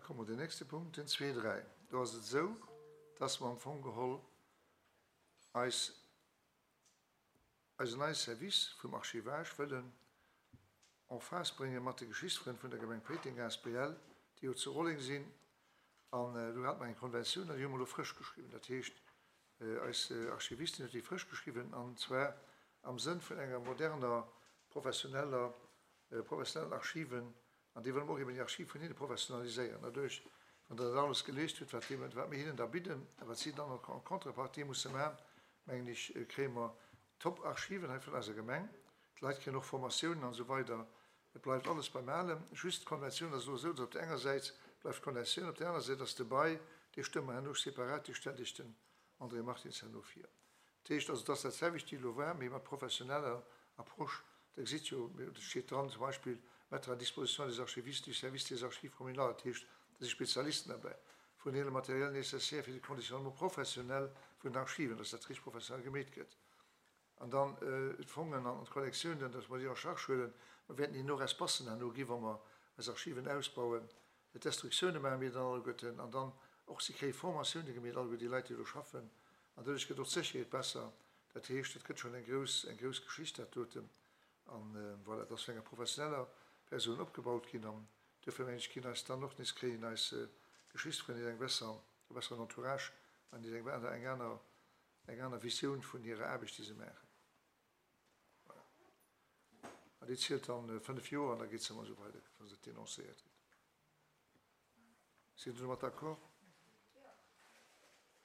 komme mer den nächste Punkt, den 2.3. Do ass et esou, dass mer am Fong geholl eis eisen neie Service vum Archivage wëllen en phase brénge mat de Geschichtsfrënn vun der Gemeng Péiteng asbl, déi jo zu Rolleng sinn. An do hate mer eng Konventioun an déi hu mer elo frësch geschriwwen. Dat heescht, eis Archivistin huet déi frësch geschriwwen, an zwar am Sënn vun enger moderner, professioneller, professionellen Archiven An déi wëlle mer och eben déi Archiv vun hinne professionaliséieren. Doduerch, wann Der dat alles geliest hutt, wat wat mir hinnen da bidden a wat si dann en contrepartie musse maachen, mengen ech, kréie mer Top-Archiven hei vun eiser Gemeng. D'Leit kréien och Formatiounen an esou weider. Et bleift alles beim Alem. Just d'Konventioun ass elo esou, datt op där enger Säit bleift d'Konventioun, op där aner Säit ass de Bail, dee stëmme mer herno separat, dee stellt Iech den André Martins herno vir. Dat heescht also, et ass dat selwecht wéi elo war, mee mat professioneller Approche. Der gesitt jo, et steet dran zum Beispill, mettre à disposition des archivistes du service des archives communales, dat heescht, do si Spezialisten derbäi, fournir le matériel nécessaire fir de Conditionnement professionnel vun den Archiven, dass dat richteg professionell gemeet gëtt, an dann d'Fongen an d'Kollektiounen, dass mer déi en charge huelen. Mer wäerten hinnen och Espacen herno gi wa mer eis Archiven ausbauen. D'Destructioune maache mir dann alleguerten an dann och, si kréie Formatioune gemeet, alleguer déi Leit, déi do schaffen. An doduerch gëtt och d'Sécherheet besser. Dat heescht, et gëtt schonn eng grouss, eng grouss Geschicht dat doten. An voilà, et ass vun enger professioneller Persoun opgebaut ginn. An duerfir mengen ech, ginn eis dann och nees, kréien eis Geschichtsfrënn nees eng besser, e besseren Entourage an nees eng aner, eng aner, eng aner Visioun vun hirer Aarbecht, déi se maachen. Voilà. An déi zielt dann 5 Joer an da geet se ëmmer esou weider, wann se denoncéiert gëtt. Sidd Der domat d'accord?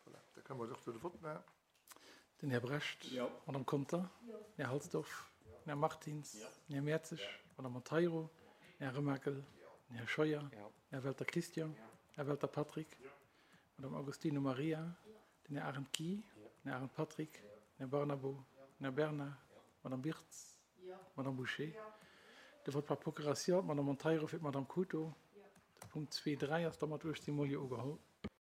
Voilà, da kënne mer och do de Vott maachen. Den Här Brecht. Jo. D'Madame Conter. Jo. Den Här Halsdorf. Jo. Den Här Martins. Jo. Den Här Mertzig. Jo. D'Madame Monteiro. Den Här Remakel. Jo. Den Här Scheuer. Jo. Den Här Welter Christian. Jo. Här Welter Patrick. Jo. D'Madame Agostino Maria. Jo. Den Här Arendt Guy. Den Här Arendt Patrick. Den Här Barnabo. Den Här Bernard. D'Madame Birtz. D'Madame Bouché. De Vote par procuration, d'Madame Monteiro fir d'Madame Couto. De Punkt 2.3 ass da mat 18 Mol Jo ugeholl.